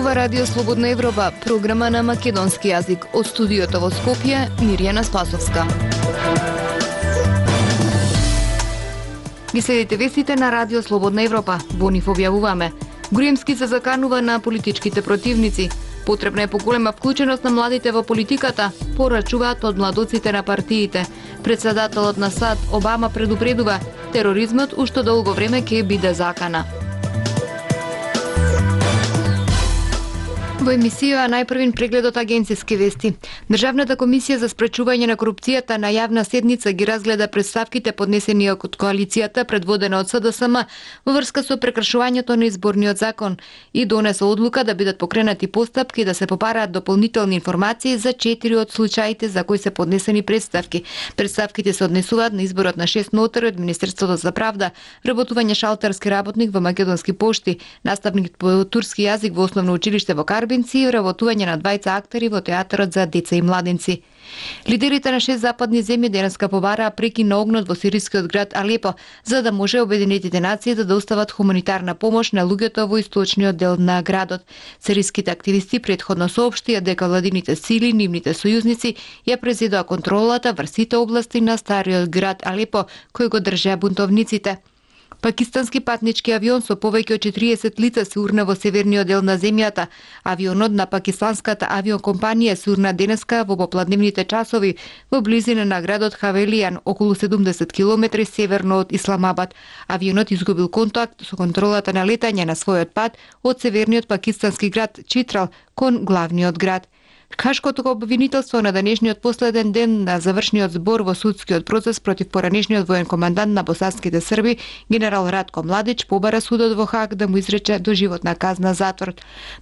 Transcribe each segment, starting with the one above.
Ова Радио Слободна Европа, програма на македонски јазик. Од студиото во Скопје, Мирјана Спасовска. Ги следите вестите на Радио Слободна Европа. Во нив објавуваме: Груевски се заканува на политичките противници. Потребна е поголема вклученост на младите во политиката, порачуваат од младоците на партиите. Председателот на САД Обама предупредува: тероризмот уште долго време ќе биде закана. Во емисија најпрвин преглед од агенцијски вести. Државната комисија за спречување на корупцијата на јавна седница ги разгледа представките поднесени од коалицијата предводена од СДСМ во врска со прекршувањето на изборниот закон и донесе одлука да бидат покренати постапки да се попараат дополнителни информации за 4 од случаите за кои се поднесени представки. Представките се однесуваат на изборот на 6 нотари од Министерството за правда, работување шалтерски работник во Македонски пошти, наставник по турски јазик во основно училиште во Карбинци и работување на двајца актери во театарот за деца и младенци. Лидерите на 6 западни земји денеска побараа прекин на огнот во сирискиот град Алепо, за да може Обединетите нации да достават хуманитарна помош на луѓето во источниот дел на градот. Сириските активисти претходно соопштија дека владините сили, нивните сојузници, ја презедоа контролата врз сите области на стариот град Алепо, кој го држеа бунтовниците. Пакистански патнички авион со повеќе од 40 лица се урна во северниот дел на земјата. Авионот на пакистанската авиокомпанија се урна денеска во попладневните часови во близина на градот Хавелијан, околу 70 км северно од Исламабад. Авионот изгубил контакт со контролата на летање на својот пат од северниот пакистански град Читрал кон главниот град. Хашкото обвинителство на денешниот последен ден на завршниот збор во судскиот процес против поранешниот воен командант на босанските срби, генерал Радко Младич, побара судот во Хаг да му изрече доживотна казна затвор.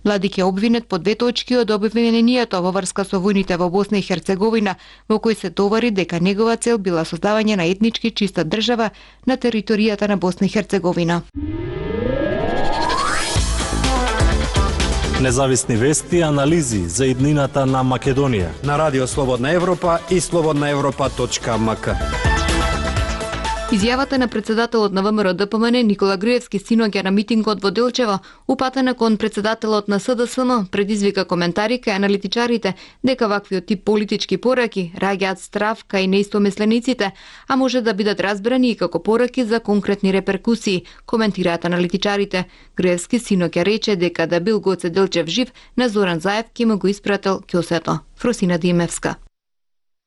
Младич е обвинет по 2 точки од обвинението во врска со војните во Босна и Херцеговина, во кои се товари дека негова цел била создавање на етнички чиста држава на територијата на Босна и Херцеговина. Независни вести и анализи за иднината на Македонија на Радио Слободна Европа и slobodnaevropa.mk. Изјавата на председателот на ВМРО ДПМН Никола Груевски синоќа на митингот во Делчево, упатена кон председателот на СДСМ, предизвика коментари кај аналитичарите дека ваквиот тип политички пораки раѓаат страв кај неистомислениците, а може да бидат разбрани и како пораки за конкретни реперкусии, коментираат аналитичарите. Груевски синоќа рече дека да бил Гоце Делчев жив, на Зоран Заев ќе му го испратил ќосето. Фросина Димевска.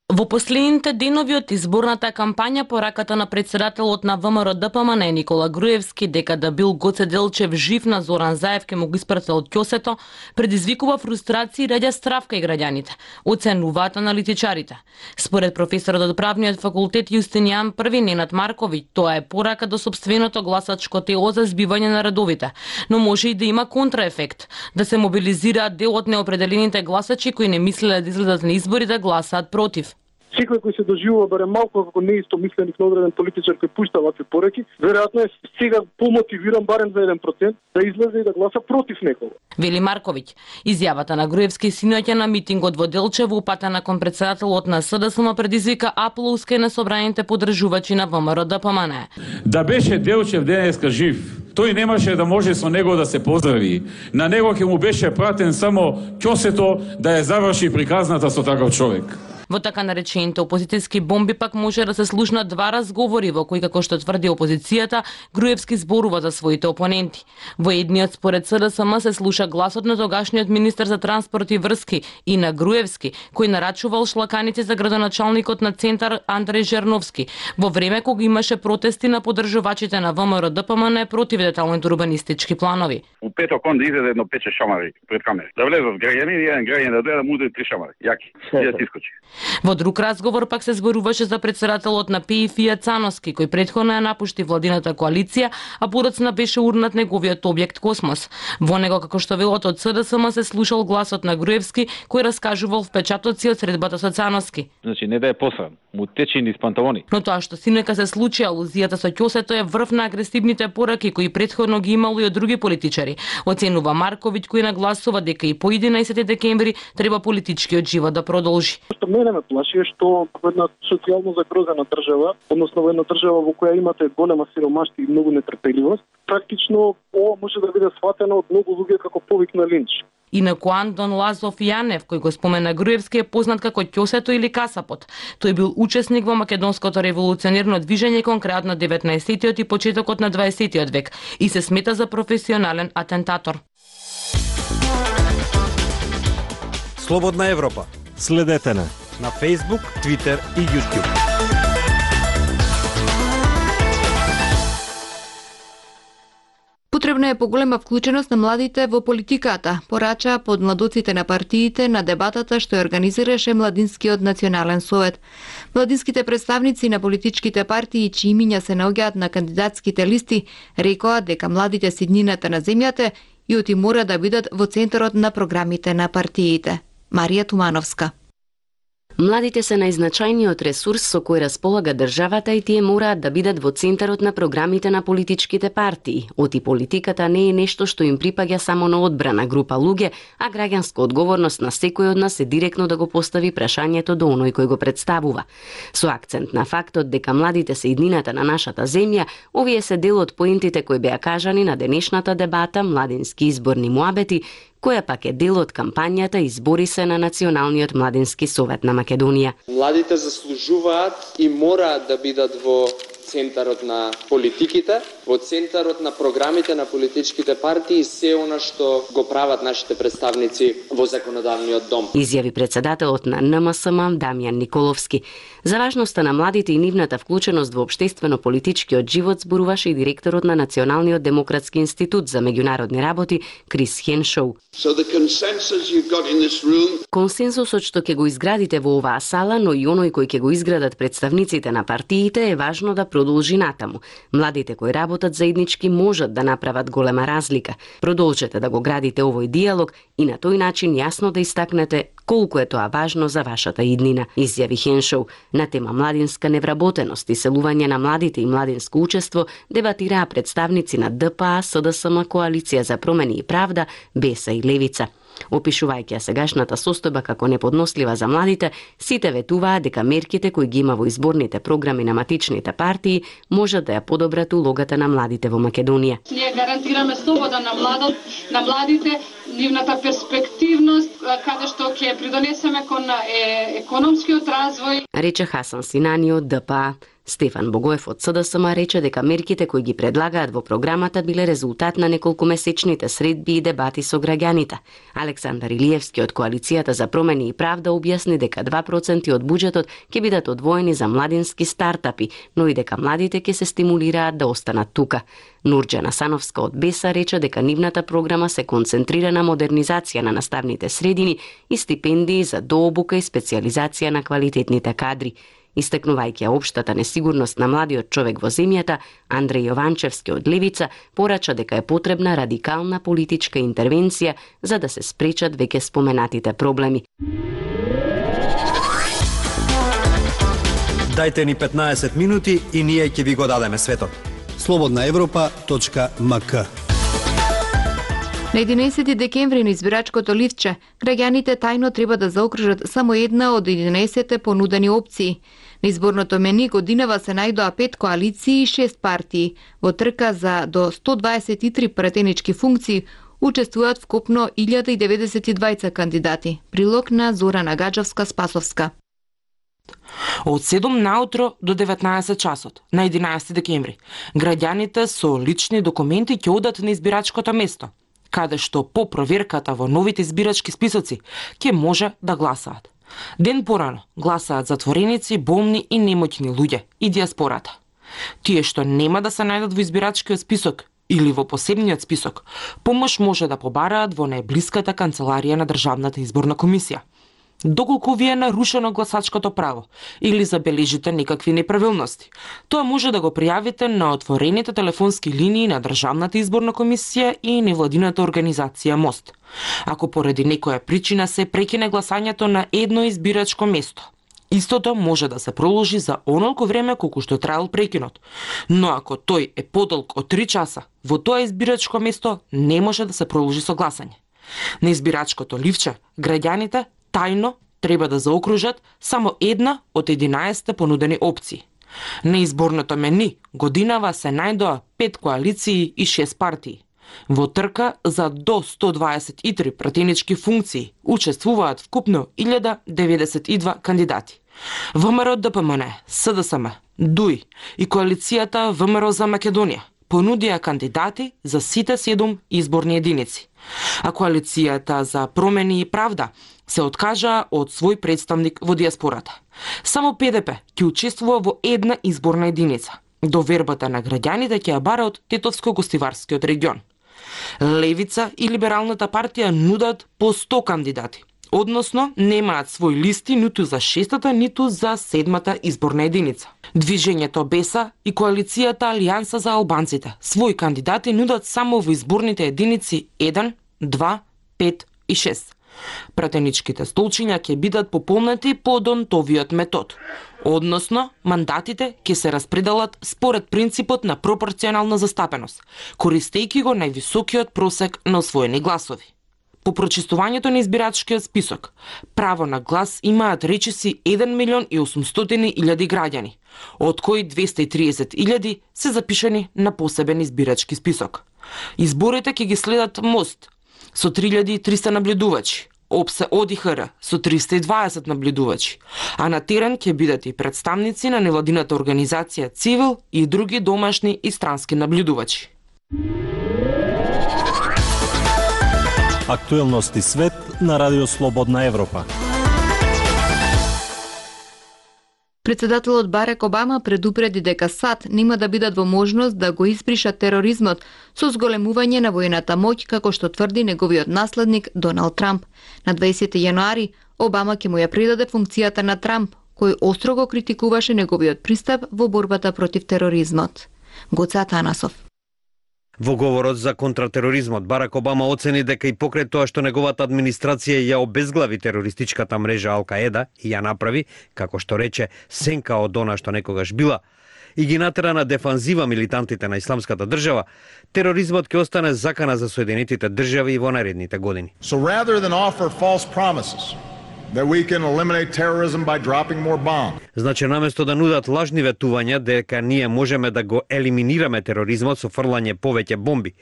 Во последните денови од изборната кампања пораката на председателот на ВМРО ДПМН Никола Груевски дека да бил Гоце Делчев жив, на Зоран Заев ке му го испратил ќосето, предизвикува фрустрација и раѓа страв кај граѓаните, оценуваат аналитичарите. Според професорот од правниот факултет Јустинијан I Ненад Марковиќ, тоа е порака до сопственото гласачко тело за збивање на редовите, но може и да има контраефект, да се мобилизираат дел од неопределените гласачи кои не мислеле да излезат на избори да гласаат против. Секој кој се доживува барем малку како неистомисленик на одреден политичар кој пушта вакви пораки, веројатно е сега помотивиран барем за 1% да излезе и да гласа против некого. Вели Марковиќ. Изјавата на Груевски синоќа на митингот во Делчево, упатена кон председателот на СДСМ, предизвика аплауз кај на собраните поддржувачи на ВМРО ДПМН. Да беше Делчев денеска жив, тој немаше да може со него да се поздрави. На него ќе му беше пратен само ќосето да ја заврши приказната со таков човек. Во така наречените опозицијски бомби пак може да се слушнат 2 разговори во кои, како што тврди опозицијата, Груевски зборува за своите опоненти. Во едниот според СДСМ се слуша гласот на тогашниот министер за транспорт и врски и на Груевски, кој нарачувал шлаканици за градоначалникот на Центар Андреј Жерновски, во време кога имаше протести на поддржувачите на ВМРО ДПМН против деталните урбанистички планови. У петок он да изеде едно 5-6 шамари пред камера. Да влезат граѓани и еден граѓанин да дојде да му удари 3 шамари. Јаки. И да искочи. Во друг разговор пак се зборуваше за председателот на ПИ Фијат Цановски, кој претходно ја напушти владината коалиција, а подоцна беше урнат неговиот објект Космос. Во него, како што велот од СДСМ, се слушал гласот на Груевски, кој раскажувал впечатоци од средбата со Цановски. Значи не да е посрам, му тече низ панталони. Но тоа што синека се случи, алузијата со ќосето е врв на агресивните пораки кои претходно ги имало и од други политичари. Оценува Марковиќ, кој нагласува дека и по 11 декември треба политичкиот живот да продолжи. Што мене ме плаши е што во една социјално загрозена држава, односно во една држава во која имате голема сиромаштво и многу нетрпеливост, практично ова може да биде сватено од многу луѓе како повик на линч. Инаку Антон Лазов Јанев, кој го спомена Груевски, е познат како Ќосето или Касапот. Тој бил учесник во македонското револуционерно движење кон крајот на 19-тиот и почетокот на 20-тиот век и се смета за професионален атентатор. Слободна Европа. Следете на Facebook, Twitter и YouTube. Потребна е поголема вклученост на младите во политиката, порача под младоците на партиите на дебатата што ја организираше Младинскиот национален совет. Младинските представници на политичките партии, чии имиња се наоѓаат на кандидатските листи, рекоа дека младите се иднината на земјата и оти мора да бидат во центарот на програмите на партиите. Марија Тумановска. Младите се најзначајниот ресурс со кој располага државата и тие мораат да бидат во центарот на програмите на политичките партии. Оти политиката не е нешто што им припаѓа само на одбрана група луѓе, а граѓанска одговорност на секој од нас е директно да го постави прашањето до оној кој го представува. Со акцент на фактот дека младите се иднината на нашата земја, овие се дел од поентите кои беа кажани на денешната дебата Младински изборни муабети, која пак е дел од кампањата Избори се на Националниот младински совет на Македонија. Младите заслужуваат и мораат да бидат во центарот на политиките, во центарот на програмите на политичките партии и се она што го прават нашите представници во законодавниот дом. Изјави председателот на НМСМ Дамјан Николовски. За важноста на младите и нивната вклученост во општествено-политичкиот живот зборуваше и директорот на Националниот демократски институт за меѓународни работи Крис Хеншоу. Консенсусот што ќе го изградите во оваа сала, но и оној кој ќе го изградат представниците на партиите е важно да продолжи натаму. Младите кои работат заеднички можат да направат голема разлика. Продолжете да го градите овој диалог и на тој начин јасно да истакнете колку е тоа важно за вашата иднина, изјави Хеншоу. На тема младинска невработеност и селување на младите и младинско учество дебатираа представници на ДПА, СДСМ, Коалиција за промени и правда, БЕСА и Левица. Опишувајќи ја сегашната состојба како неподнослива за младите, сите ветуваа дека мерките кои ги има во изборните програми на матичните партии можат да ја подобрат улогата на младите во Македонија. Ние гарантираме слобода на младите, нивната перспективност, каде што ќе придонесеме кон економскиот развој. Рече Хасан Синани од ДПА. Стефан Богоев од СДСМ рече дека мерките кои ги предлагаат во програмата биле резултат на неколкумесечните средби и дебати со граѓаните. Александар Илиевски од Коалицијата за промени и правда објасни дека 2% од буџетот ќе бидат одвоени за младински стартапи, но и дека младите ќе се стимулираат да останат тука. Нурџана Сановска од БЕСА рече дека нивната програма се концентрира на модернизација на наставните средини и стипендии за дообука и специјализација на квалитетните кадри. Истакнувајќи општата несигурност на младиот човек во земјата, Андреј Јованчевски од Левица порача дека е потребна радикална политичка интервенција за да се спречат веќе споменатите проблеми. Дајте ни 15 минути и ние ќе ви го дадеме светот. slobodnaevropa.mk. На 11 декември на избирачкото ливче, граѓаните тајно треба да заокружат само една од 11 понудени опции. На изборното мени годинава се најдоа 5 коалиции и 6 партии. Во трка за до 123 пратенички функции учествуваат вкупно 1092 кандидати. Прилог на Зорана Гаджевска-Спасовска. Од 7 наутро до 19 часот, на 11 декември, граѓаните со лични документи ќе одат на избирачкото место, каде што по проверката во новите избирачки списоци ќе може да гласаат. Ден порано гласаат затвореници, болни и немоќни луѓе и диаспората. Тие што нема да се најдат во избирачкиот список или во посебниот список, помош може да побараат во најблиската канцеларија на Државната изборна комисија. Доколку ви е нарушено гласачкото право или забележите некакви неправилности, тоа може да го пријавите на отворените телефонски линии на Државната изборна комисија и невладината организација МОСТ. Ако поради некоја причина се прекине гласањето на едно избирачко место, истото може да се проложи за онолку време колку што траел прекинот, но ако тој е подолг од 3 часа, во тоа избирачко место не може да се проложи со гласање. На избирачкото ливче, граѓаните тајно треба да заокружат само една од 11 понудени опции. На изборното мени годинава се најдоа 5 коалиции и 6 партии. Во трка за до 123 пратенички функции учествуваат вкупно 1092 кандидати. ВМРО ДПМН, СДСМ, ДУИ и коалицијата ВМРО за Македонија понудија кандидати за сите 7 изборни единици, а коалицијата за промени и правда се откажа од свој представник во диаспората. Само ПДП ќе учествува во една изборна единица. Довербата на граѓаните ќе ја бара од Тетовско-Гостиварскиот регион. Левица и Либералната партија нудат по 100 кандидати, односно немаат свои листи ниту за 6-та, ниту за 7-та изборна единица. Движењето Беса и коалицијата Алијанса за албанците своји кандидати нудат само во изборните единици 1, 2, 5 и 6. Пратеничките столчиња ќе бидат пополнети по Донтовиот метод, односно мандатите ќе се распределат според принципот на пропорционална застапеност, користејќи го највисокиот просек на освоени гласови. По прочистувањето на избирачкиот список, право на глас имаат речиси 1.800.000 граѓани, од кои 230.000 се запишани на посебен избирачки список. Изборите ќе ги следат МОСТ со 3.300 наблюдувачи, ОПСЕ ОДИХР со 320 наблюдувачи, а на терен ќе бидат и представници на невладината организација Цивил и други домашни и странски наблюдувачи. Актуелности свет на Радио Слободна Европа. Председателот Барак Обама предупреди дека САД нема да бидат во можност да го испришат тероризмот со зголемување на воената моќ, како што тврди неговиот наследник Доналд Трамп. На 20 јануари Обама ќе му ја предаде функцијата на Трамп, кој остро го критикуваше неговиот пристап во борбата против тероризмот. Гоце Атанасов. Во говорот за контратероризмот, Барак Обама оцени дека и покрај тоа што неговата администрација ја обезглави терористичката мрежа Ал-Каеда и ја направи, како што рече, сенка од она што некогаш била, и ги натера на дефанзива милитантите на Исламската држава, тероризмот ќе остане закана за Соединетите држави и во наредните години. So rather than offer false promises that we can eliminate terrorism by dropping more bombs. Значи, наместо да нудат лажни ветувања дека ние можеме да го елиминираме тероризмот со фрлање повеќе бомби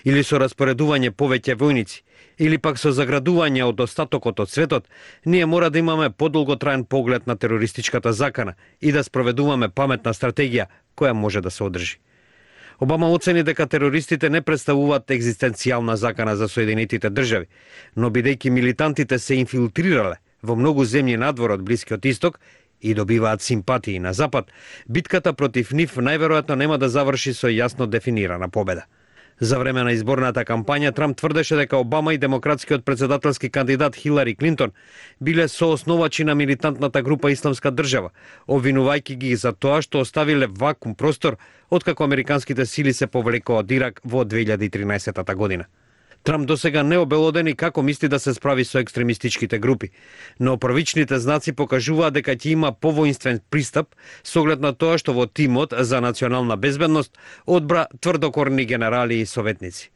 или со распоредување повеќе војници, или пак со заградување од остатокот од светот, ние мора да имаме подолготраен поглед на терористичката закана и да спроведуваме паметна стратегија која може да се одржи. Обама оцени дека терористите не представуваат екзистенцијална закана за Соединетите држави, но бидејќи милитантите се инфилтрирале во многу земји надвор од Блискиот Исток и добиваат симпатии на Запад, битката против нив најверојатно нема да заврши со јасно дефинирана победа. За време на изборната кампања Трамп тврдеше дека Обама и демократскиот председателски кандидат Хилари Клинтон биле соосновачи на милитантната група Исламска држава, обвинувајќи ги за тоа што оставиле вакуум простор откако американските сили се повлекоа од Ирак во 2013 година. Трамп досега не обелодени како мисли да се справи со екстремистичките групи, но првичните знаци покажуваат дека ќе има повоинствен пристап со оглед на тоа што во тимот за национална безбедност одбра тврдокорни генерали и советници.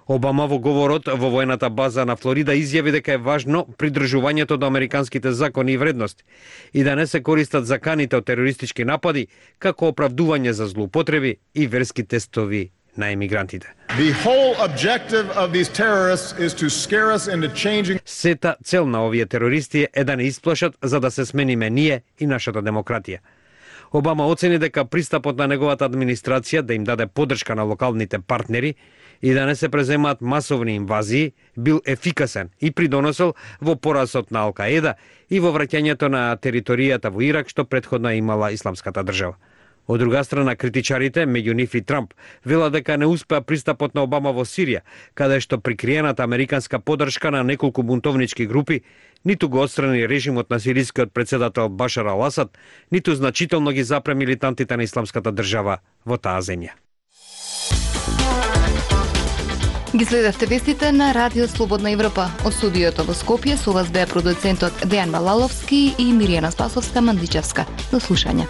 Обама во говорот во воената база на Флорида изјави дека е важно придржувањето до американските закони и вредности и да не се користат заканите од терористички напади како оправдување за злоупотреби и верски тестови на емигрантите. Сета цел на овие терористи е да не исплашат за да се смениме ние и нашата демократија. Обама оцени дека пристапот на неговата администрација да им даде поддршка на локалните партнери и да не се преземаат масовни инвазии бил ефикасен и придонесел во поразот на Ал-Каеда и во враќањето на територијата во Ирак што претходно имала Исламската држава. Од друга страна, критичарите, меѓу нив и Трамп, велат дека не успеа пристапот на Обама во Сирија, каде што прикриената американска поддршка на неколку бунтовнички групи ниту го отстрани режимот на сирискиот председател Башар ал-Асад, ниту значително ги запре милитантите на Исламската држава во таа земја. Ги следевте вестите на Радио Слободна Европа. Од студиото во Скопје со вас беа продуцентот Дејан Балаловски и Миријана Спасовска-Мандичевска. До слушање.